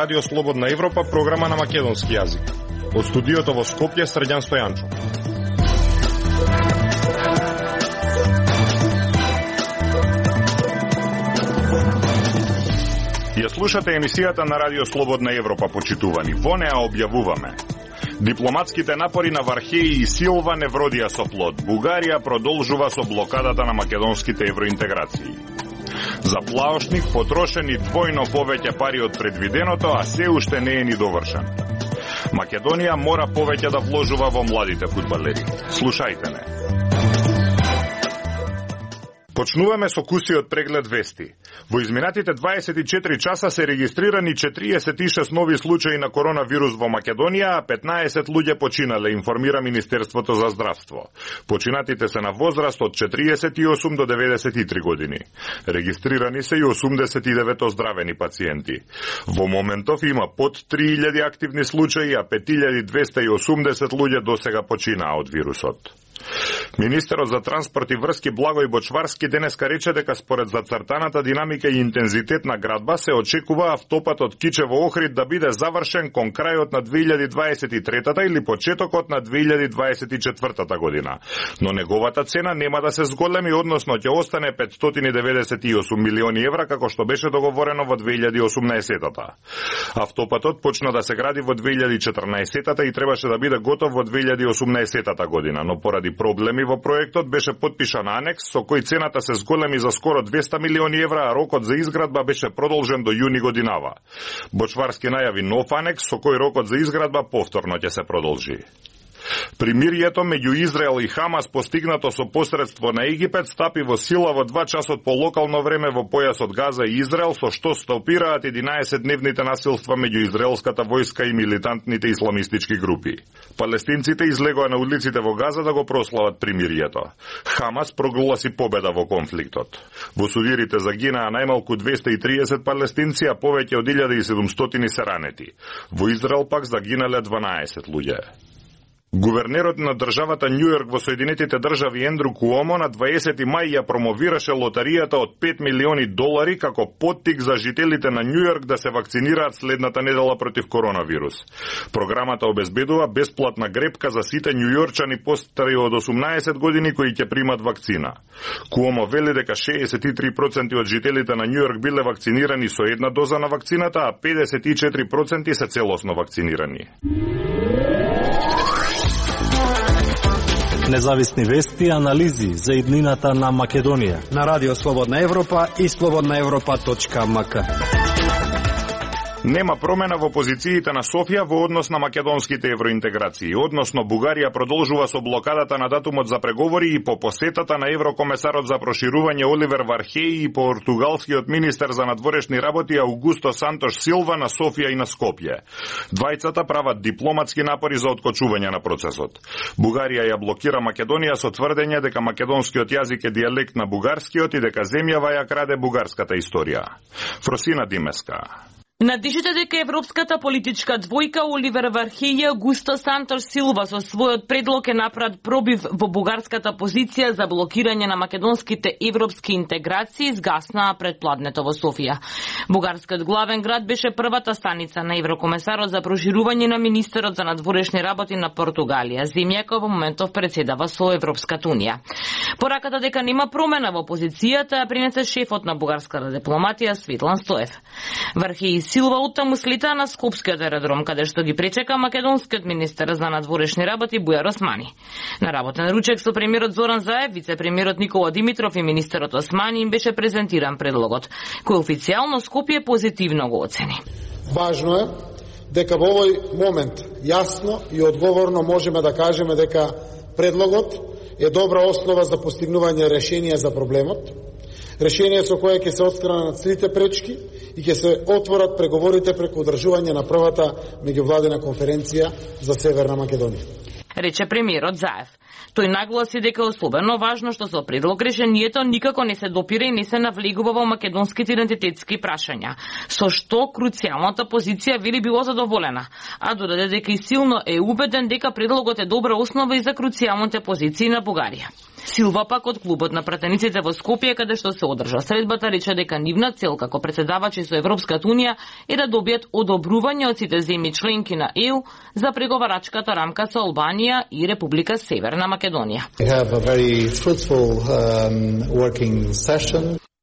Радио Слободна Европа, програма на македонски јазик. Од студиото во Скопје, Срđan Стојанчов. Ја слушате емисијата на Радио Слободна Европа, почитувани. Во неа објавуваме: дипломатските напори на Вархеи и Силва не вродија со плод. Бугарија продолжува со блокадата на македонските евроинтеграции. За плаошник потрошени двојно повеќе пари од предвиденото, а се уште не е ни довршен. Македонија мора повеќе да вложува во младите фудбалери. Слушајте не. Почнуваме со кусиот преглед вести. Во изминатите 24 часа се регистрирани 46 нови случаи на коронавирус во Македонија, а 15 луѓе починале, информира Министерството за здравство. Починатите се на возраст од 48 до 93 години. Регистрирани се и 89 оздравени пациенти. Во моментов има под 3000 активни случаи, а 5280 луѓе досега починаа од вирусот. Министерот за транспорт и врски Благој Бочварски денеска рече дека според зацртаната динамика и интензитет на градба се очекува автопатот Кичево-Охрид да биде завршен кон крајот на 2023 или почетокот на 2024 година. Но неговата цена нема да се зголеми, односно ќе остане 598 милиони евра како што беше договорено во 2018-та. Автопатот почна да се гради во 2014-та и требаше да биде готов во 2018 година, но поради проблеми во проектот беше подпишан анекс со кој цената се зголеми за скоро 200 милиони евра, а рокот за изградба беше продолжен до јуни годинава. Бочварски најави нов анекс со кој рокот за изградба повторно ќе се продолжи. Примирието меѓу Израел и Хамас, постигнато со посредство на Египет, стапи во сила во 2 часот по локално време во појасот Газа и Израел, со што стопираат 11-дневните насилства меѓу израелската војска и милитантните исламистички групи. Палестинците излегоа на улиците во Газа да го прослават примирието. Хамас прогласи победа во конфликтот. Во сувирите загинаа најмалку 230 палестинци, а повеќе од 1700 се ранети. Во Израел пак загинале 12 луѓе. Гувернерот на државата Њујорк во Соединетите држави Ендру Куомо на 20 мај ја промовираше лотаријата од $5 милиони како поттик за жителите на Њујорк да се вакцинираат следната недела против коронавирус. Програмата обезбедува бесплатна грепка за сите њујорчани постари од 18 години кои ќе примат вакцина. Куомо вели дека 63% од жителите на Њујорк биле вакцинирани со една доза на вакцината, а 54% се целосно вакцинирани. Независни вести и анализи за иднината на Македонија на Радио Слободна Европа и slobodnaevropa.mk. Нема промена во позициите на Софија во однос на македонските евроинтеграции. Односно, Бугарија продолжува со блокадата на датумот за преговори и по посетата на еврокомесарот за проширување Оливер Вархеи и португалскиот министер за надворешни работи Аугусто Сантош Силва на Софија и на Скопје. Двајцата прават дипломатски напори за откочување на процесот. Бугарија ја блокира Македонија со тврдење дека македонскиот јазик е дијалект на бугарскиот и дека земјава ја краде бугарската историја. Фросина Димеска. Надишите дека европската политичка двојка Оливер Вархеи и Аугусто Сантош Силва со својот предлог е направат пробив во бугарската позиција за блокирање на македонските европски интеграции изгаснаа пред пладнето во Софија. Бугарскиот главен град беше првата станица на еврокомесарот за проширување на министерот за надворешни работи на Португалија, земја која во моментов председава со Европската унија. Пораката дека нема промена во позицијата ја принесе шефот на бугарската дипломатија Светлан Стоев. Вархеи Силва оттаму слета на Скопскиот аеродром, каде што ги пречека македонскиот министер за надворешни работи Бујар Османи. На работен ручек со премиерот Зоран Заев, вице-премиерот Никола Димитров и министерот Османи им беше презентиран предлогот, кој официјално Скопје позитивно го оцени. Важно е дека во овој момент јасно и одговорно можеме да кажеме дека предлогот е добра основа за постигнување решение за проблемот, решение со кое ќе се отстранат сите пречки и ќе се отворат преговорите преку одржување на првата меѓувладина конференција за Северна Македонија. Рече премиерот Заев. Тој нагласи дека е особено важно што со предлог решението никако не се допира и не се навлегува во македонските идентитетски прашања, со што круцијалната позиција вели било задоволена, а додаде дека и силно е убеден дека предлогот е добра основа и за круцијалните позиции на Бугарија. Силва пак од клубот на пратениците во Скопје, каде што се одржа средбата, рече дека нивна цел како председавачи со Европската унија е да добијат одобрување од сите земји членки на ЕУ за преговарачката рамка со Албанија и Република Северна Македонија.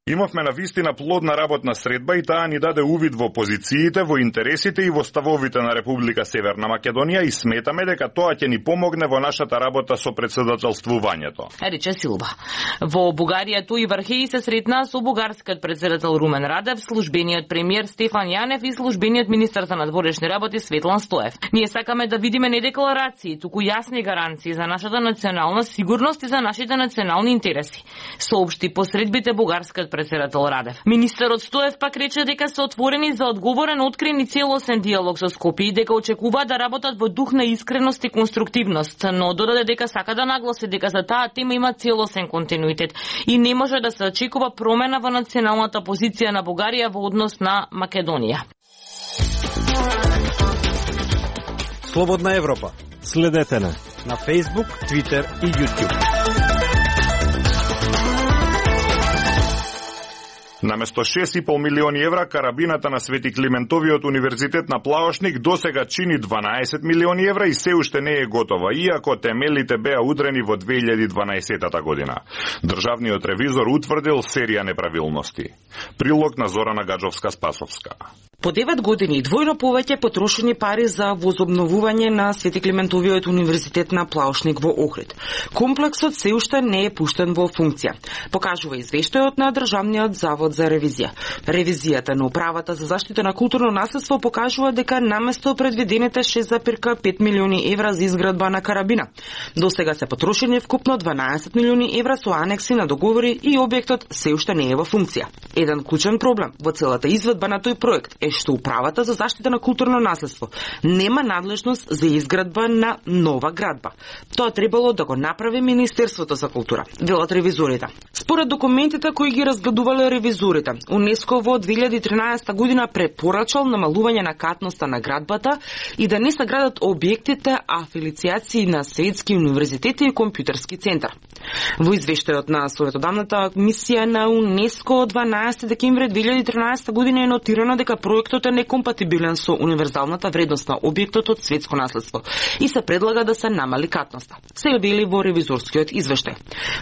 Имавме на вистина плодна работна средба и таа ни даде увид во позициите, во интересите и во ставовите на Република Северна Македонија и сметаме дека тоа ќе ни помогне во нашата работа со председателствувањето. Рече Силва. Во Бугарија Тој Вархеј се сретна со бугарскиот председател Румен Радев, службениот премиер Стефан Јанев и службениот министар за надворешни работи Светлан Стоев. Ние сакаме да видиме не декларации, туку јасни гаранции за нашата национална сигурност и за нашите национални интереси, соопшти посредбите бугарскиот председател Радев. Министерот Стоев пак рече дека се отворени за одговорен, открен и целосен диалог со Скопје и дека очекуваат да работат во дух на искреност и конструктивност, но додаде дека сака да нагласи дека за таа тема има целосен континуитет и не може да се очекува промена во националната позиција на Бугарија во однос на Македонија. Слободна Европа. Следете на Facebook, Twitter и YouTube. Наместо 6,5 милиони евра, карабината на Свети Климентовиот универзитет на Плаошник досега чини 12 милиони евра и се уште не е готова, иако темелите беа удрени во 2012 година. Државниот ревизор утврдил серија неправилности. Прилог на Зорана Гаджовска-Спасовска. По 9 години двојно повеќе потрошени пари за возобновување на Свети Климентовиот универзитет на Плаошник во Охрид. Комплексот се уште не е пуштен во функција, покажува извештајот на Државниот завод за ревизија. Ревизијата на управата за заштита на културно наследство покажува дека наместо предвидените 6,5 милиони евра за изградба на карабина, досега се потрошени вкупно 12 милиони евра со анекси на договори и објектот се уште не е во функција. Еден клучен проблем во целата изведба на тој проект е што управата за заштита на културно наследство нема надлежност за изградба на нова градба. Тоа требало да го направи Министерството за култура, велат ревизорите. Според документите кои ги разгледувале ревизорите, УНЕСКО во 2013 година препорачал намалување на катноста на градбата и да не се градат објектите афилицијации на светски универзитети и компјутерски центар. Во извештајот на Советодавната мисија на УНЕСКО од 12 декември 2013 година е нотирано дека проектот е некомпатибилен со универзалната вредност на објектот од светско наследство и се предлага да се намали катноста. Се били во ревизорскиот извештај.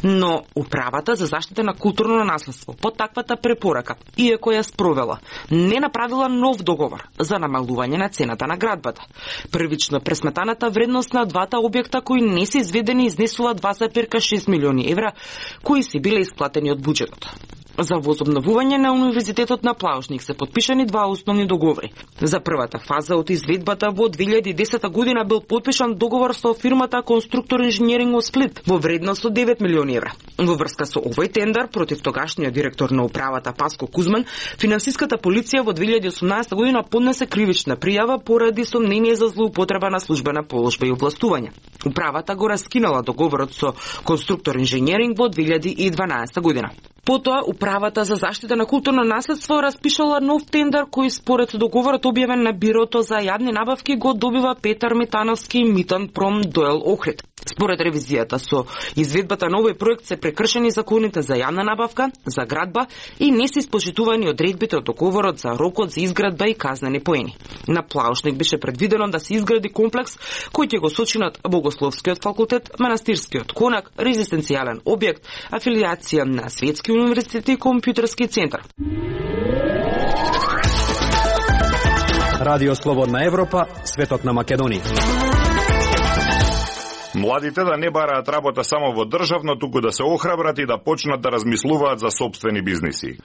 Но управата за заштита на културно наследство по таквата препорака, иако ја спровела, не направила нов договор за намалување на цената на градбата. Првично пресметаната вредност на двата објекта кои не се изведени изнесува 2,6 милиони евра кои се биле исплатени од буџетот. За возобновување на Универзитетот на Плаошник се подпишани два основни договори. За првата фаза од изведбата во 2010 година бил подпишан договор со фирмата Конструктор инженеринг од Сплит во вредност од 9 милиони евра. Во врска со овој тендер против тогашниот директор на управата Паско Кузман, финансиската полиција во 2018 година поднесе кривична пријава поради сомнение за злоупотреба на службена положба и овластување. Управата го раскинала договорот со Конструктор инженеринг во 2012 година. Потоа, управата за заштита на културно наследство распишала нов тендер кој според договорот објавен на Бирото за јавни набавки го добива Петар Митановски и Митан Пром Доел Охрид. Според ревизијата со изведбата на овој проект се прекршени законите за јавна набавка, за градба и не се испочитувани одредбите од договорот за рокот за изградба и казнени поени. На Плаошник беше предвидено да се изгради комплекс кој ќе го сочинат Богословскиот факултет, Манастирскиот конак, резистенцијален објект, афилијација на Светски универзитет и компјутерски центар. Радио Слободна Европа, светот на Македонија. Младите да не бараат работа само во државно, туку да се охрабрат и да почнат да размислуваат за сопствени бизниси.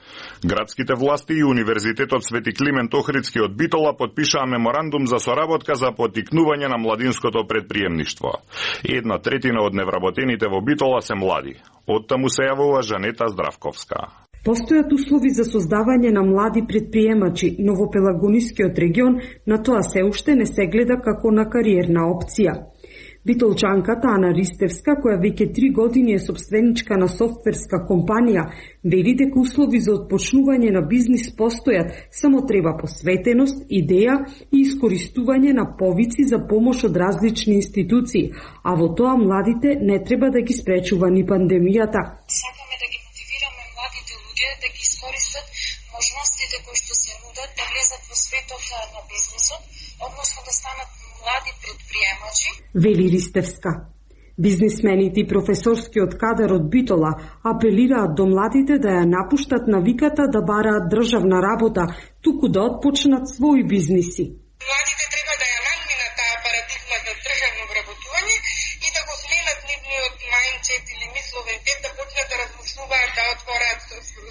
Градските власти и Универзитетот Свети Климент Охридски од Битола подпишаа меморандум за соработка за поттикнување на младинското предприемништво. 1/3 од невработените во Битола се млади. Оттаму се јавува Жанета Здравковска. Постојат услови за создавање на млади предприемачи, но во Пелагонискиот регион на тоа се уште не се гледа како на кариерна опција. Битолчанката Ана Ристевска, која веќе 3 години е собственичка на софтверска компанија, вели дека услови за отпочнување на бизнис постојат, само треба посветеност, идеја и искористување на повици за помош од различни институции, а во тоа младите не треба да ги спречува ни пандемијата. Сакаме да ги мотивираме младите луѓе да ги искористат можностите кои што се нудат да влезат во светот на бизнисот, односно да станат млади предприемачи. Вели Ристевска. Бизнисмените и професорскиот кадар од Битола апелираат до младите да ја напуштат навиката да бараат државна работа, туку да отпочнат своји бизниси. Младите треба да ја надминат таа парадигма за државно вработување и да го сменат нивниот мајндсет или мисловен да почнат да размислуваат да отвораат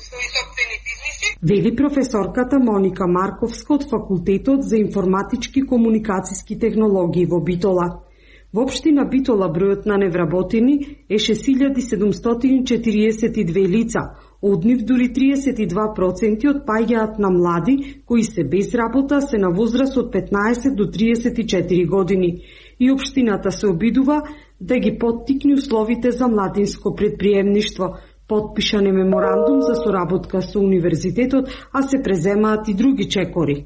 своји сопствени бизниси. Вели професорката Моника Марковска од Факултетот за информатички комуникациски технологии во Битола. Во општина Битола бројот на невработени е 6742 лица, од нив дури 32% отпаѓаат на млади кои се без работа, се на возраст од 15 до 34 години. И општината се обидува да ги поттикне условите за младинско предприемништво. Потпишан е меморандум за соработка со универзитетот, а се преземаат и други чекори.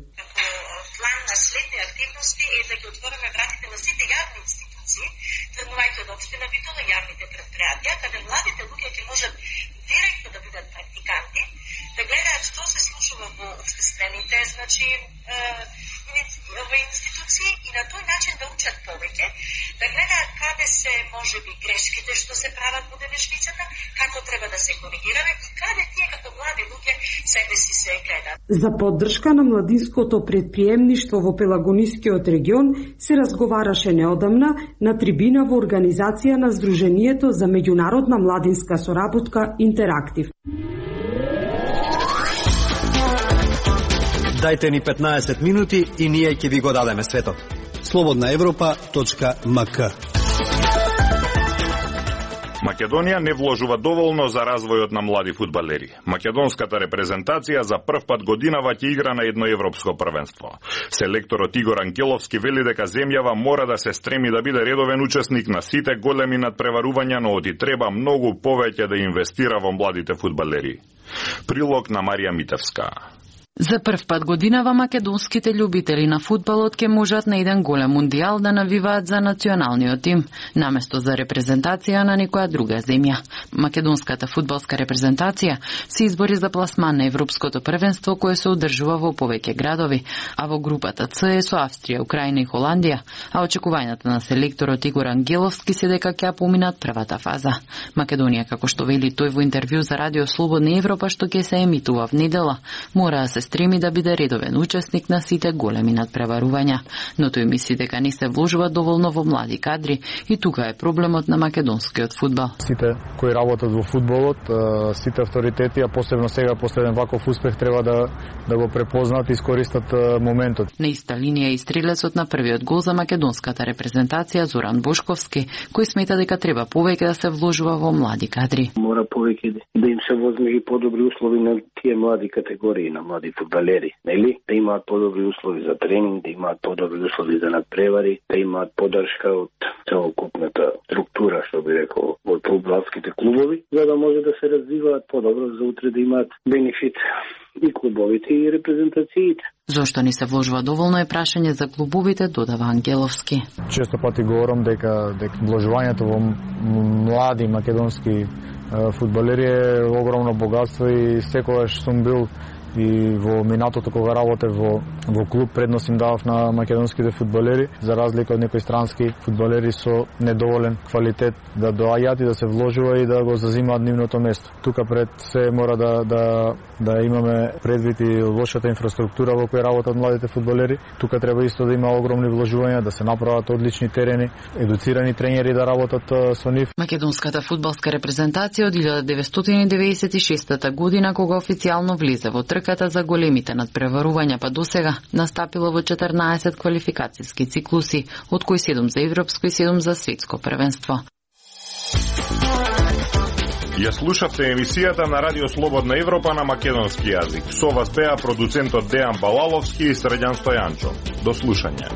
План на следни активности е да ги отвориме вратите на сите јавни институции, тргнувајќи од општина Битола јавните предпријатија, каде младите луѓе ќе можат директно да бидат практиканти, да гледаат што се случува во општествените, во институции и на тој начин да учат повеќе, да гледаат каде се можеби грешките што се прават во денешницата, како треба да се коригираме и каде тие како млади луѓе себе си се гледаат. За поддршка на младинското предприемништво во Пелагонискиот регион се разговараше неодамна на трибина во организација на Сдруженијето за меѓународна младинска соработка Интерактив. Дајте ни 15 минути и ние ќе ви го дадеме светот. slobodnaevropa.mk. Македонија не вложува доволно за развојот на млади фудбалери. Македонската репрезентација за прв пат годинава ќе игра на едно европско првенство. Селекторот Игор Ангеловски вели дека земјава мора да се стреми да биде редовен учесник на сите големи надпреварувања, но оди треба многу повеќе да инвестира во младите фудбалери. Прилог на Марија Митевска. За прв пат годинава македонските љубители на фудбалот ќе можат на еден голем мундијал да навиваат за националниот тим, наместо за репрезентација на некоја друга земја. Македонската фудбалска репрезентација се избори за пласман на европското првенство кое се одржува во повеќе градови, а во групата С е со Австрија, Украина и Холандија, а очекувањата на селекторот Игор Ангеловски се дека ќе поминат првата фаза. Македонија, како што вели тој во интервју за Радио Слободна Европа што ќе се емитува в недела, мора да се стреми да биде редовен учесник на сите големи надпреварувања, но тој мисли дека не се вложува доволно во млади кадри и тука е проблемот на македонскиот фудбал. Сите кои работат во фудбалот, сите авторитети, а посебно сега после еден ваков успех треба да го препознаат и искористат моментот. На иста линија и стрелецот на првиот гол за македонската репрезентација Зоран Бошковски, кој смета дека треба повеќе да се вложува во млади кадри. Мора повеќе да им се возможи подобри услови на тие млади категории, на млади фудбалери, нели? Да имаат подобри услови за тренинг, да имаат подобри услови за надпревари, да имаат поддршка од целокупната структура, што би рекол, од фудбалските клубови, за да може да се развиваат подобро за утре да имаат бенефит и клубовите и репрезентациите. Зошто не се вложува доволно е прашање за клубовите, додава Ангеловски. Често пати говорам дека вложувањето во млади македонски фудбалери е огромно богатство и секогаш сум бил и во минатото кога работев во клуб предност им давав на македонските фудбалери, за разлика од некои странски фудбалери со недоволен квалитет да доаѓаат и да се вложува и да го зазимаат нивното место. Тука пред се мора да имаме предвид и лошата инфраструктура во која работат младите фудбалери. Тука треба исто да има огромни вложувања, да се направат одлични терени, едуцирани тренери да работат со нив. Македонската фудбалска репрезентација од 1996 година, кога официјално влезе во трката за големите надпреварувања па досега, настапила во 14 квалификацијски циклуси, од кои 7 за европско и 7 за светско првенство. Ја слушавте емисијата на Радио Слободна Европа на македонски јазик. Со вас беа продуцентот Дејан Балаловски и Средјан Стојанчо. До слушање.